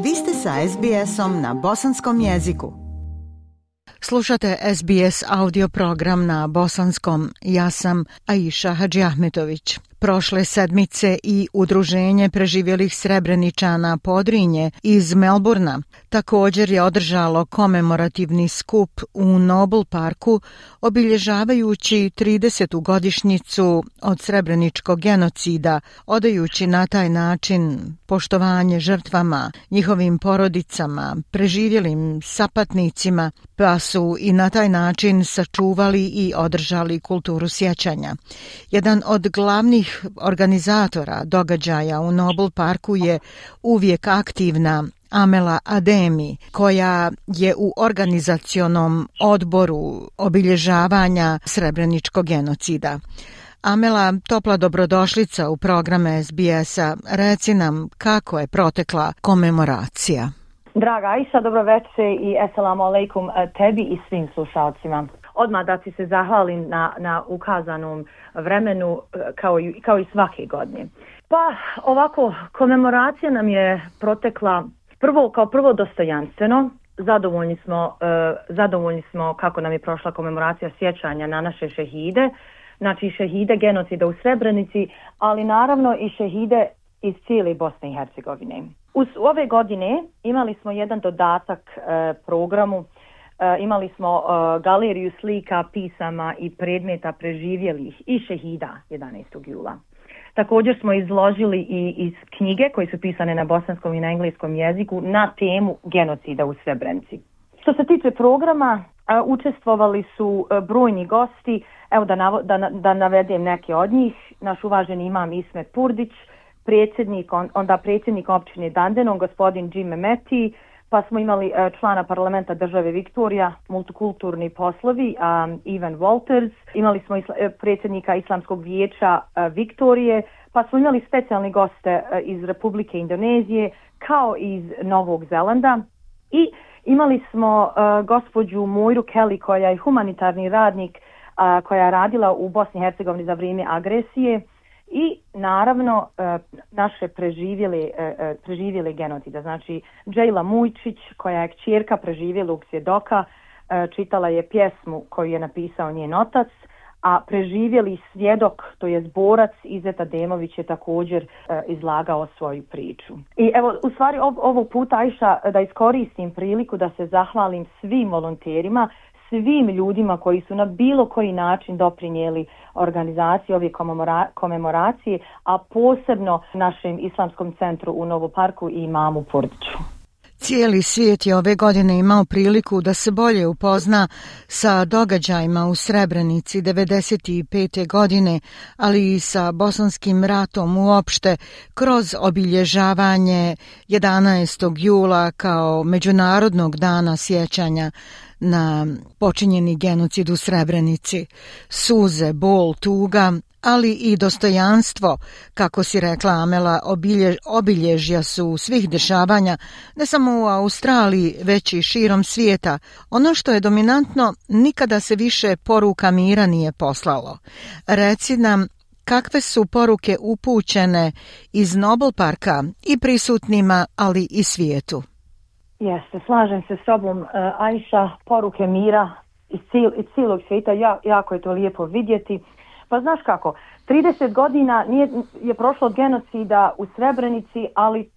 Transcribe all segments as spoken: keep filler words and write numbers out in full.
Vi ste sa es bi esom na bosanskom jeziku. Slušate es bi es audio program na bosanskom. Ja sam Aisha Hadžiahmetović. Prošle sedmice i Udruženje preživjelih Srebreničana Podrinje iz Melburna također je održalo komemorativni skup u Noble Parku obilježavajući tridesetu godišnjicu od srebreničkog genocida, odajući na taj način poštovanje žrtvama, njihovim porodicama, preživjelim sapatnicima, pa su i na taj način sačuvali i održali kulturu sjećanja. Jedan od glavnih organizatora događaja u Noble Parku je uvijek aktivna Amela Ademi, koja je u organizacionom odboru obilježavanja srebreničkog genocida. Amela, topla dobrodošlica u program es bi esa. Reci nam kako je protekla komemoracija. Draga Aisha, dobro večer i assalamu alaikum tebi i svim slušalcima. Odmah da ti se zahvalim na, na ukazanom vremenu kao i, kao i svake godine. Pa ovako, komemoracija nam je protekla prvo kao prvo dostojanstveno. Zadovoljni smo, uh, zadovoljni smo kako nam je prošla komemoracija sjećanja na naše šehide, znači šehide genocida u Srebrenici, ali naravno i šehide iz cijele Bosne i Hercegovine. Uz ove godine imali smo jedan dodatak uh, programu. Uh, imali smo uh, galeriju slika, pisama i predmeta preživjelih i šehida jedanaestog jula. Također smo izložili i iz knjige koje su pisane na bosanskom i na engleskom jeziku na temu genocida u Srebrenici. Što se tiče programa, uh, učestvovali su uh, brojni gosti. Evo da, navo, da, da navedem neke od njih. Naš uvaženi imam Ismet Purdić, predsjednik, on, onda predsjednik općine Dandenong, gospodin Jim Mehmeti, pa smo imali uh, člana parlamenta države Viktorija, multikulturni poslovi, um, Ivan Walters, imali smo isla, predsjednika Islamskog vijeća uh, Viktorije, pa smo imali specijalni goste uh, iz Republike Indonezije, kao i iz Novog Zelanda, i imali smo uh, gospođu Moiru Kelly, koja je humanitarni radnik, uh, koja je radila u Bosni i Hercegovini za vrijeme agresije, i naravno naše preživjele, preživjele genocida. Znači Džejla Mujčić, koja je kćerka preživjelog svjedoka, čitala je pjesmu koju je napisao njen otac, a preživjeli svjedok, to je borac Izet Ademović, je također izlagao svoju priču. I evo, u stvari ovog puta, Aisha, da iskoristim priliku da se zahvalim svim volonterima, svim ljudima koji su na bilo koji način doprinijeli organizaciji ove komemora- komemoracije, a posebno našem Islamskom centru u Novom Parku i imamu Purdiću. Cijeli svijet je ove godine imao priliku da se bolje upozna sa događajima u Srebrenici devedeset pete godine, ali i sa bosanskim ratom uopšte kroz obilježavanje jedanaestog jula kao Međunarodnog dana sjećanja na počinjeni genocid u Srebrenici. Suze, bol, tuga, ali i dostojanstvo, kako si rekla Amela, obilje, obilježja su svih dešavanja, ne samo u Australiji, već i širom svijeta. Ono što je dominantno, nikada se više poruka mira nije poslalo. Reci nam, kakve su poruke upućene iz Noble Parka i prisutnima, ali i svijetu? Jeste, slažem se s tobom, uh, Aisha, poruke mira iz, cijel, iz cijelog svijeta, ja, jako je to lijepo vidjeti. Pa znaš kako, trideset godina nije, je prošlo od genocida u Srebrenici, ali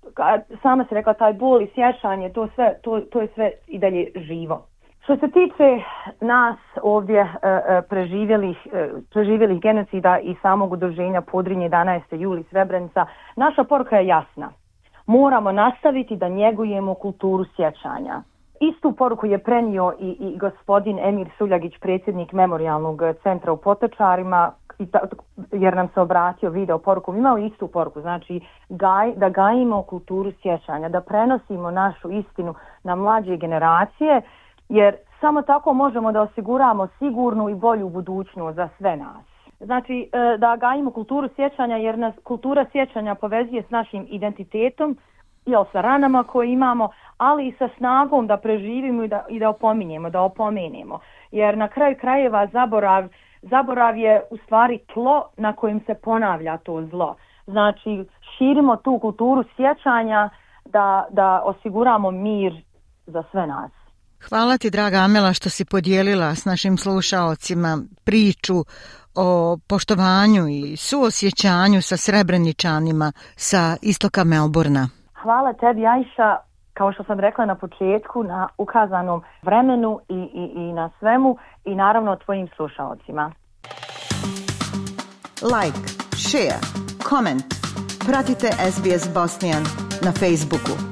sama se rekla, taj bol i sjećanje, to, sve, to, to je sve i dalje živo. Što se tiče nas ovdje uh, preživjelih, uh, preživjelih genocida i samog udruženja Podrinje jedanaestog jula Srebrenica, naša poruka je jasna. Moramo nastaviti da njegujemo kulturu sjećanja. Istu poruku je prenio i, i gospodin Emir Suljagić, predsjednik Memorijalnog centra u Potočarima, i ta, jer nam se obratio video poruku. Imao istu poruku, znači gaj, da gajimo kulturu sjećanja, da prenosimo našu istinu na mlađe generacije, jer samo tako možemo da osiguramo sigurnu i bolju budućnost za sve nas. Znači da gajimo kulturu sjećanja, jer nas kultura sjećanja povezuje s našim identitetom, jel, sa ranama koje imamo, ali i sa snagom da preživimo i da, i da opominjemo, da opomenemo. Jer na kraju krajeva zaborav, zaborav je u stvari tlo na kojem se ponavlja to zlo. Znači širimo tu kulturu sjećanja da, da osiguramo mir za sve nas. Hvala ti, draga Amela, što si podijelila s našim slušaocima priču o poštovanju i suosjećanju sa Srebreničanima sa istoka Melbourna. Hvala tebi, Ajša, kao što sam rekla na početku, na ukazanom vremenu i, i, i na svemu i naravno tvojim slušaocima. Like, share, comment. Pratite S B S Bosnian na Facebooku.